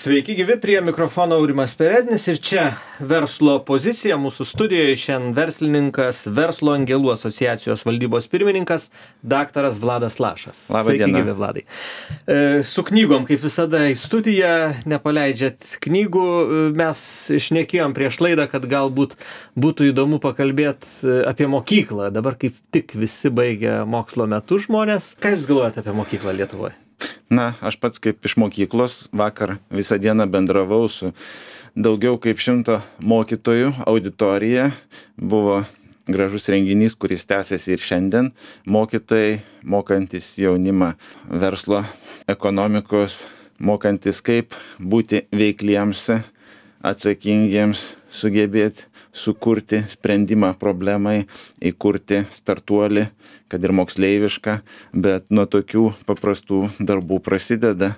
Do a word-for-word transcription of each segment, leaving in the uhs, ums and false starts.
Sveiki gyvi, prie mikrofono Aurimas Perednis ir čia verslo pozicija mūsų studijoje. Šiandien verslininkas, Verslo angelų asociacijos valdybos pirmininkas, daktaras Vladas Lašas. Labą Sveiki dieną. gyvi, Vladai. E, su knygom, kaip visada, į studiją nepaleidžiat knygų. Mes šnekėjom prieš laidą, kad galbūt būtų įdomu pakalbėti apie mokyklą. Dabar kaip tik visi baigia mokslo metus žmonės. Ką jūs galvojate apie mokyklą Lietuvoje? Na, aš pats kaip iš mokyklos vakar visą dieną bendravau su daugiau kaip šimto mokytojų auditorija. Buvo gražus renginys, kuris tęsiasi ir šiandien. Mokytojai, mokantis jaunimą verslo, ekonomikos, mokantis kaip būti veikliems, atsakingiems, sugebėti sukurti sprendimą problemai, įkurti startuolį, kad ir moksleivišką, bet nuo tokių paprastų darbų prasideda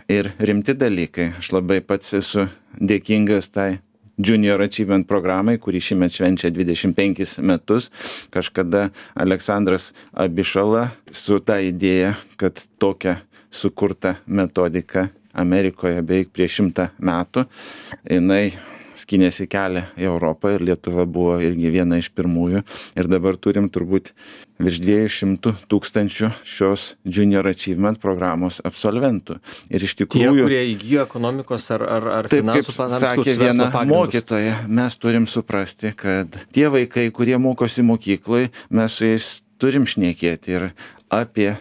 ir rimti dalykai. Aš labai pats esu dėkingas tai Junior Achievement programai, kuri šiemet švenčia dvidešimt penkis metus. Kažkada Aleksandras Abišala su ta idėja, kad tokia sukurta metodika Amerikoje beveik prieš šimtą metų, jinai skynėsi kelią į Europą ir Lietuva buvo irgi viena iš pirmųjų. Ir dabar turim turbūt virš dviejų šimtų tūkstančių šios Junior Achievement programos absolventų. Ir iš Tie, tikrųjų, kurie įgijo ekonomikos ar, ar, ar taip kaip finansų tam sakė tikrus viena verslo pagrindus. mokytoja, mes turim suprasti, kad tie vaikai, kurie mokosi mokykloj, mes su jais turim šnekėti ir apie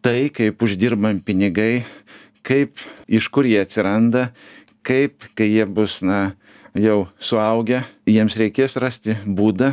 tai, kaip uždirbam pinigai, kaip, iš kur jie atsiranda, kaip, kai jie bus, na, jau suaugę, jiems reikės rasti būdą,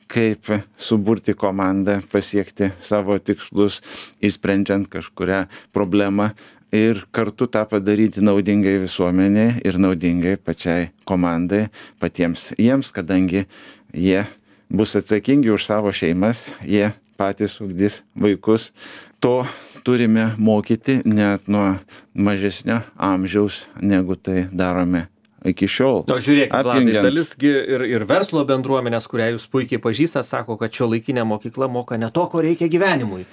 kaip suburti komandą, pasiekti savo tikslus, išsprendžiant kažkurią problemą ir kartu tą padaryti naudingai visuomenei ir naudingai pačiai komandai, patiems jiems, kadangi jie bus atsakingi už savo šeimas, jie patys ugdys vaikus. To turime mokyti net nuo mažesnio amžiaus, negu tai darome iki šiol. O žiūrėkit, Vladai, Apjungiant- dalisgi ir, ir verslo bendruomenės, kurią jūs puikiai pažįstat, sako, kad šiuolaikinė mokykla moka ne to, ko reikia gyvenimui.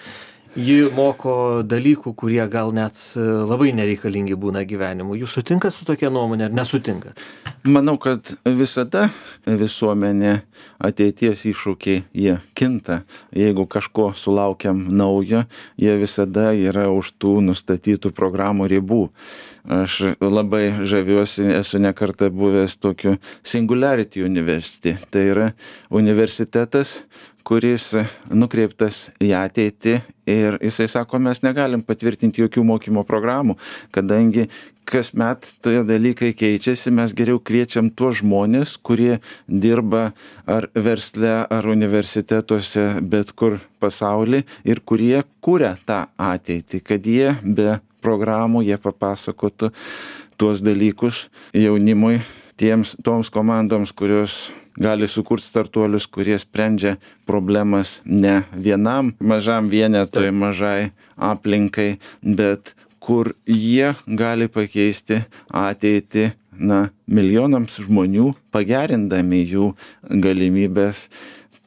Ji moko dalykų, kurie gal net e, labai nereikalingi būna gyvenimui. Jūs sutinkat su tokia nuomonė ar nesutinkat? Manau, kad visada visuomenė ateities iššūkiai jie kinta. Jeigu kažko sulaukiam naujo, jie visada yra už tų nustatytų programų ribų. Aš labai žaviuosi, esu ne kartą buvęs tokiu Singularity University. Tai yra universitetas, kuris nukreiptas į ateitį ir jisai sako, mes negalim patvirtinti jokių mokymo programų, kadangi kasmet tie dalykai keičiasi, mes geriau kviečiam tuos žmonės, kurie dirba ar versle, ar universitetuose, bet kur pasauly ir kurie kuria tą ateitį, kad jie be programų, jie papasakotų tuos dalykus jaunimui, tiems, toms komandoms, kurios gali sukurti startuolius, kurie sprendžia problemas ne vienam mažam vienetui, mažai aplinkai, bet kur jie gali pakeisti ateitį, na, milijonams žmonių, pagerindami jų galimybės,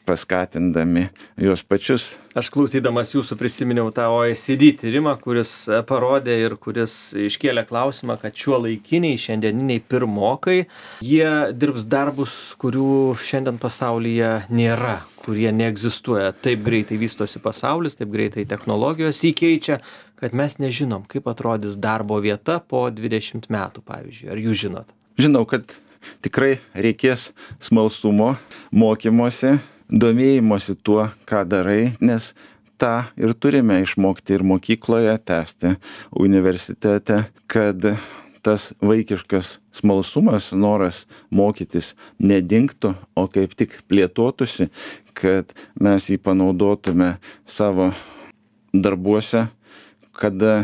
paskatindami juos pačius. Aš klausydamas jūsų prisiminiau tą O E C D tyrimą, kuris parodė ir kuris iškėlė klausimą, kad šiuolaikiniai šiandieniniai pirmokai, jie dirbs darbus, kurių šiandien pasaulyje nėra, kurie neegzistuoja. Taip greitai vystosi pasaulis, taip greitai technologijos įkeičia, kad mes nežinom, kaip atrodys darbo vieta po dvidešimt metų, pavyzdžiui. Ar jūs žinot? Žinau, kad tikrai reikės smalsumo, mokymosi, domėjimosi tuo, ką darai, nes tą ir turime išmokti ir mokykloje, tęsti universitete, kad tas vaikiškas smalsumas, noras mokytis nedingtų, o kaip tik plėtotųsi, kad mes jį panaudotume savo darbuose, kada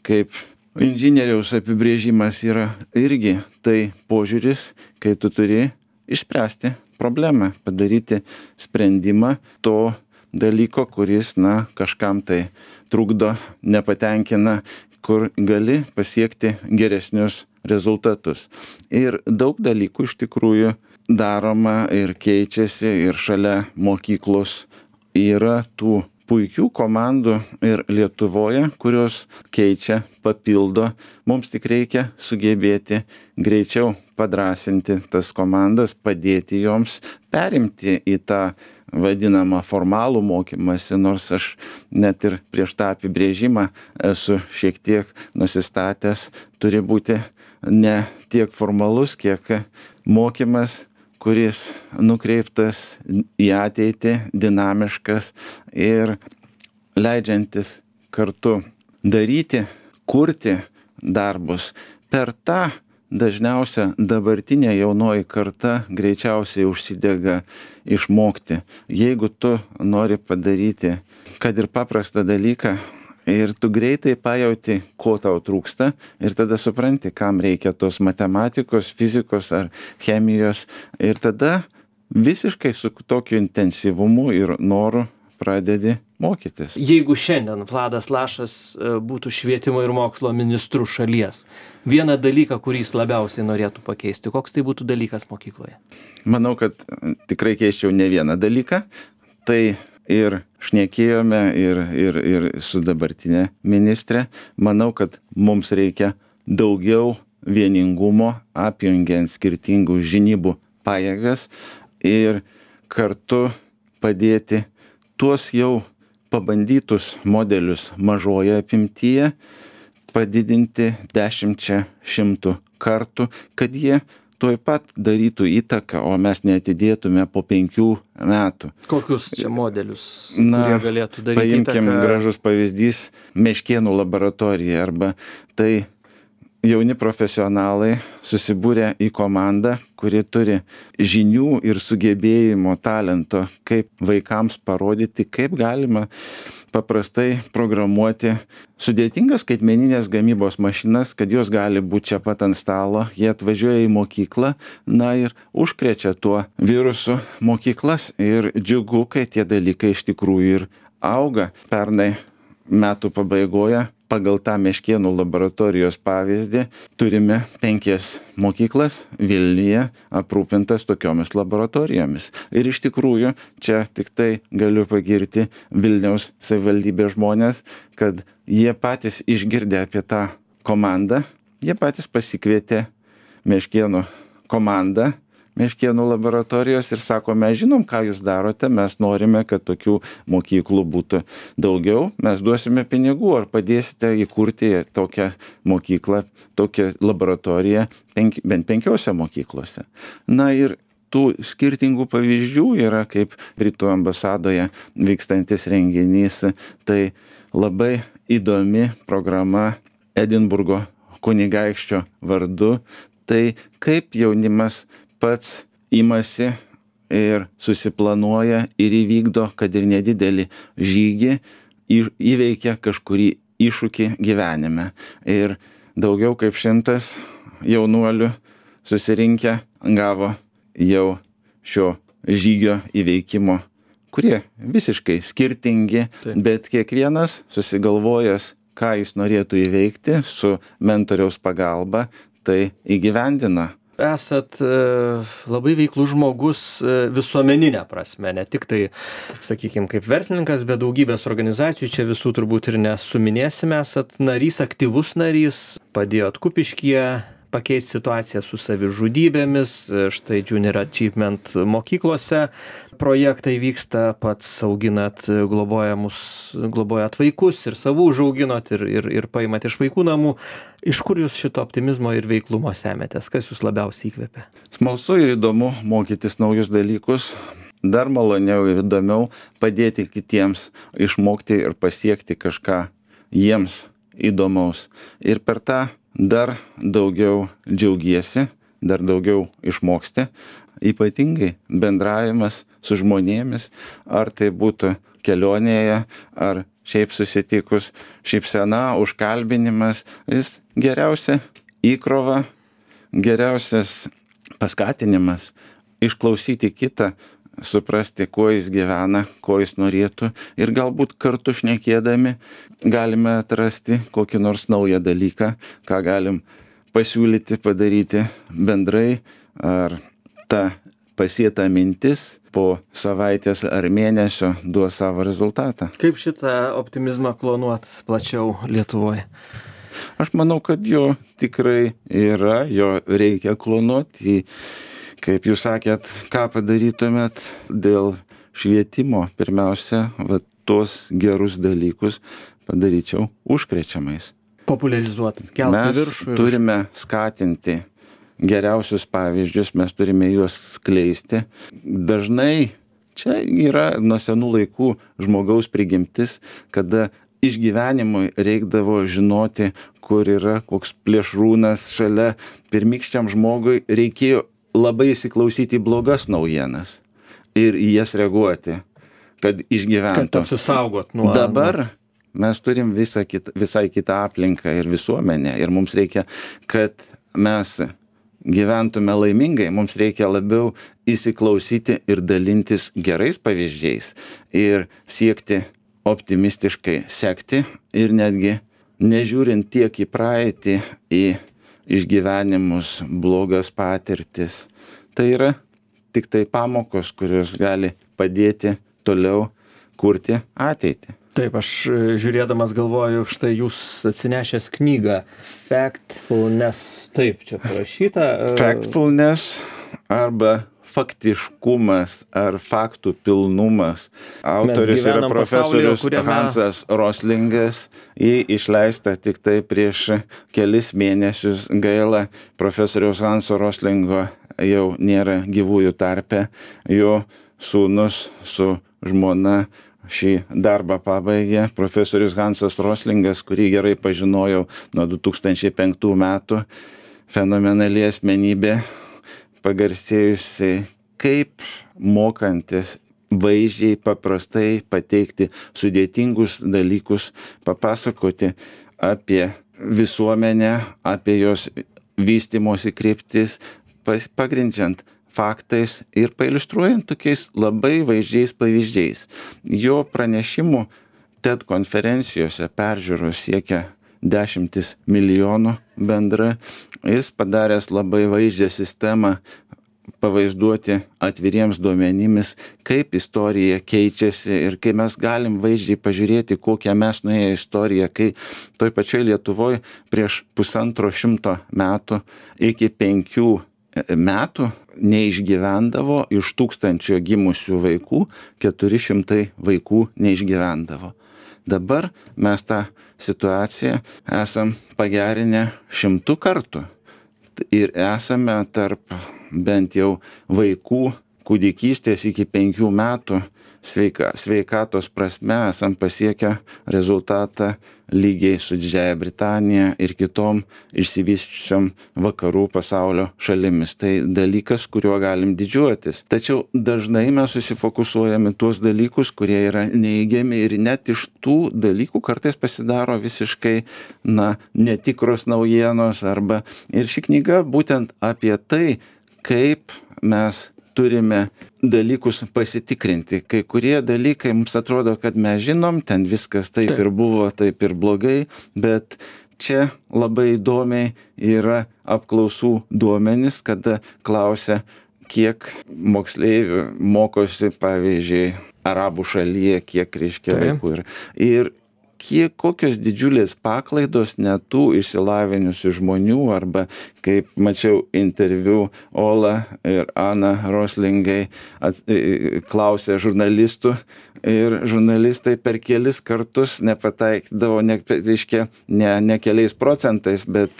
kaip inžinieriaus apibrėžimas yra irgi tai požiūris, kai tu turi išspręsti problemą, padaryti sprendimą to dalyko, kuris, na, kažkam tai trukdo, nepatenkina, kur gali pasiekti geresnius rezultatus. Ir daug dalykų iš tikrųjų daroma ir keičiasi ir šalia mokyklos yra tų puikių komandų ir Lietuvoje, kurios keičia, papildo. Mums tik reikia sugebėti greičiau padrąsinti tas komandas, padėti joms perimti į tą vadinamą formalų mokymąsi, nors aš net ir prieš tą apibrėžimą esu šiek tiek nusistatęs, turi būti ne tiek formalus, kiek mokymas, kuris nukreiptas į ateitį, dinamiškas ir leidžiantis kartu daryti, kurti darbus. Per tą dažniausia dabartinė jaunoji karta greičiausiai užsidega išmokti. Jeigu tu nori padaryti, kad ir paprastą dalyką, ir tu greitai pajauti, ko tau trūksta, ir tada supranti, kam reikia tos matematikos, fizikos ar chemijos, ir tada visiškai su tokiu intensyvumu ir noru pradedi mokytis. Jeigu šiandien Vladas Lašas būtų švietimo ir mokslo ministru šalies, vieną dalyką, kurį jis labiausiai norėtų pakeisti, koks tai būtų dalykas mokykloje? Manau, kad tikrai keisčiau ne vieną dalyką. Tai ir šnekėjome ir, ir, ir su dabartinė ministrė. Manau, kad mums reikia daugiau vieningumo, apjungiant skirtingų žinybų pajėgas ir kartu padėti tuos jau pabandytus modelius mažoje apimtyje padidinti dešimčia šimtų kartų, kad jie tuoj pat darytų įtaką, o mes neatidėtume po penkių metų. Kokius čia modelius, Na, kurie galėtų daryti paimkim įtaką? Gražus pavyzdys Meškėnų laboratorija, arba tai jauni profesionalai susibūrė į komandą, kuri turi žinių ir sugebėjimo, talento, kaip vaikams parodyti, kaip galima paprastai programuoti sudėtingas skaitmeninės gamybos mašinas, kad jos gali būti čia pat ant stalo. Jie atvažiuoja į mokyklą, na ir užkrečia tuo virusu mokyklas, ir džiugu, kai tie dalykai iš tikrųjų ir auga. Pernai metų pabaigoje pagal tą Meškėnų laboratorijos pavyzdį turime penkias mokyklas Vilniuje aprūpintas tokiomis laboratorijomis. Ir iš tikrųjų čia tik tai galiu pagirti Vilniaus savivaldybės žmonės, kad jie patys išgirdę apie tą komandą, jie patys pasikvietė Meškėnų komandą, Meškėnų laboratorijos, ir sako, mes žinom, ką jūs darote, mes norime, kad tokių mokyklų būtų daugiau, mes duosime pinigų, ar padėsite įkurti tokią mokyklą, tokią laboratoriją penk, bent penkiose mokyklose. Na ir tų skirtingų pavyzdžių yra, kaip Britų ambasadoje vykstantis renginys, tai labai įdomi programa Edinburgo kunigaikščio vardu, tai kaip jaunimas pats imasi ir susiplanuoja ir įvykdo, kad ir nedidelį žygį, įveikia kažkurį iššūkį gyvenime. Ir daugiau kaip šimtas jaunuolių susirinkę gavo jau šio žygio įveikimo, kurie visiškai skirtingi, Taip. Bet kiekvienas susigalvojęs, ką jis norėtų įveikti, su mentoriaus pagalba tai įgyvendina. Esat labai veiklus žmogus visuomeninė prasme, ne tik tai, sakykime, kaip verslininkas, bet daugybės organizacijų, čia visų turbūt ir nesuminėsime, esat narys, aktyvus narys, padėjot Kupiškyje pakeisti situaciją su savižudybėmis, štai Junior Achievement mokyklose projektai vyksta, pats auginat globojamus, globojat vaikus ir savų užauginot ir, ir, ir paimat iš vaikų namų. Iš kur jūs šito optimizmo ir veiklumo semetės? Kas jūs labiausiai įkvepia? Smalsu ir įdomu mokytis naujus dalykus. Dar maloniau ir įdomiau padėti kitiems išmokti ir pasiekti kažką jiems įdomaus. Ir per tą dar daugiau džiaugiesi, dar daugiau išmoksti. Ypatingai bendravimas su žmonėmis, ar tai būtų kelionėje, ar šiaip susitikus, šypsena, užkalbinimas, jis geriausia įkrova, geriausias paskatinimas išklausyti kitą, suprasti, kuo jis gyvena, ko jis norėtų, ir galbūt kartu šnekėdami galime atrasti kokį nors naują dalyką, ką galim pasiūlyti, padaryti bendrai, ar ta pasėta mintis po po savaitės ar mėnesio duos savo rezultatą. Kaip šitą optimizmą klonuot plačiau Lietuvoje? Aš manau, kad jo tikrai yra, jo reikia klonuoti. Kaip jūs sakėt, ką padarytumėt dėl švietimo, pirmiausia, va, tos gerus dalykus padaryčiau užkrečiamais. Popularizuoti, kelti Mes viršų. turime skatinti geriausius pavyzdžius, mes turime juos skleisti. Dažnai čia yra nuo senų laikų žmogaus prigimtis, kada išgyvenimui reikdavo žinoti, kur yra koks plėšrūnas šalia. Pirmykščiam žmogui reikėjo labai įsiklausyti į blogas naujienas ir į jas reaguoti, kad išgyventų. Kad apsisaugot nuo... Dabar mes turim visą kitą, visai kitą aplinką ir visuomenę ir mums reikia, kad mes gyventume laimingai, mums reikia labiau įsiklausyti ir dalintis gerais pavyzdžiais ir siekti optimistiškai sekti ir netgi nežiūrint tiek į praeitį, į išgyvenimus, blogas patirtis. Tai yra tik tai pamokos, kurios gali padėti toliau kurti ateitį. Taip, aš žiūrėdamas galvoju, štai jūs atsinešęs knygą Factfulness, taip čia parašyta. Factfulness arba faktiškumas ar faktų pilnumas. Autoris yra profesorius pasaulyje, kuriame... Hansas Roslingas. Jį išleista tik tai prieš kelis mėnesius. Gaila, profesoriaus Hanso Roslingo jau nėra gyvųjų tarpe. Jo sūnus su žmona šį darbą pabaigė. Profesorius Hansas Roslingas, kurį gerai pažinojau nuo du tūkstančiai penktų metų, fenomenali asmenybė, pagarsėjusi kaip mokantis vaizdžiai, paprastai pateikti sudėtingus dalykus, papasakoti apie visuomenę, apie jos vystymosi kryptis, pagrindžiant faktais ir pailiustruojant tokiais labai vaizdžiais pavyzdžiais. Jo pranešimų TED konferencijose peržiūros siekia dešimtis milijonų bendra. Jis padaręs labai vaizdžią sistemą pavaizduoti atviriems duomenimis, kaip istorija keičiasi ir kai mes galim vaizdžiai pažiūrėti, kokią mes nuėję istoriją, kai toj pačioj Lietuvoje prieš pusantro šimto metų iki penkių metų neišgyvendavo iš tūkstančio gimusių vaikų, keturi šimtai vaikų neišgyvendavo. Dabar mes tą situaciją esam pagerinę šimtų kartų ir esame tarp bent jau vaikų kūdikystės iki penkių metų sveika, sveikatos prasme esam pasiekę rezultatą lygiai su Didžiąja Britanija ir kitom išsivysčiusiom vakarų pasaulio šalimis. Tai dalykas, kuriuo galim didžiuotis. Tačiau dažnai mes susifokusuojame tuos dalykus, kurie yra neigiami ir net iš tų dalykų kartais pasidaro visiškai, na, netikros naujienos arba ir ši knyga būtent apie tai, kaip mes turime dalykus pasitikrinti. Kai kurie dalykai mums atrodo, kad mes žinom, ten viskas taip, taip ir buvo, taip ir blogai, bet čia labai įdomiai yra apklausų duomenys, kada klausia, kiek moksleivių mokosi, pavyzdžiui, arabų šalyje, kiek reiškia vaikų yra. Ir kiek, kokios didžiulės paklaidos net tų išsilavinusių žmonių, arba kaip mačiau interviu Ola ir Ana Roslingai at, klausė žurnalistų ir žurnalistai per kelis kartus nepataikydavo, ne, reiškia, ne, ne keliais procentais, bet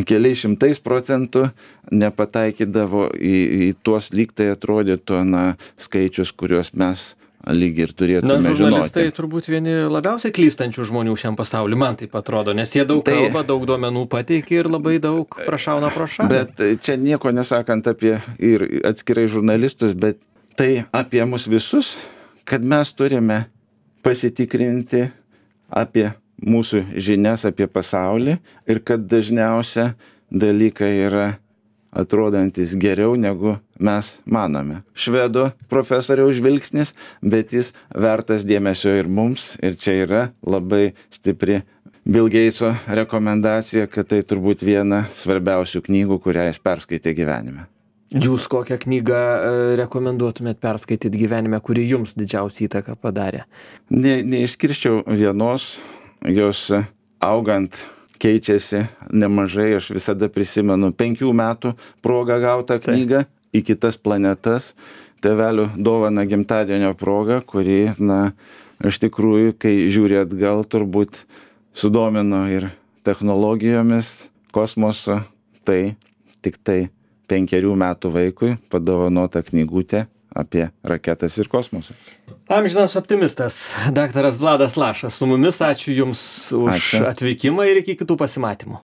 keliais šimtais procentų nepataikydavo į, į tuos lyg tai atrodytų, na, skaičius, kuriuos mes lyg ir turėtume žinoti. Na, žurnalistai turbūt vieni labiausiai klystančių žmonių šiam pasauliu, man taip atrodo, nes jie daug tai, kalba, daug duomenų pateikia ir labai daug prašauna pro šalį. Bet čia nieko nesakant apie ir atskirai žurnalistus, bet tai apie mus visus, kad mes turime pasitikrinti apie mūsų žinias apie pasaulį ir kad dažniausia dalykai yra atrodantis geriau negu mes manome. Švedų profesoriaus žvilgsnis, bet jis vertas dėmesio ir mums, ir čia yra labai stipri Bill Gateso rekomendacija, kad tai turbūt viena svarbiausių knygų, kurią jis perskaitė gyvenime. Jūs kokią knygą rekomenduotumėt perskaityti gyvenime, kuri jums didžiausią įtaką padarė? Ne, neišskirčiau vienos, jos augant keičiasi nemažai. Aš visada prisimenu penkių metų progą gautą knygą į kitas planetas, tėvelių dovana gimtadienio proga, kuri, na, iš tikrųjų, kai žiūri atgal, turbūt sudomino ir technologijomis, kosmoso, tai tik tai penkerių metų vaikui padovanota knygutė apie raketas ir kosmosą. Amžinas optimistas, daktaras Vladas Lašas su mumis. Ačiū Jums už Ačiū. atvykimą ir iki kitų pasimatymų.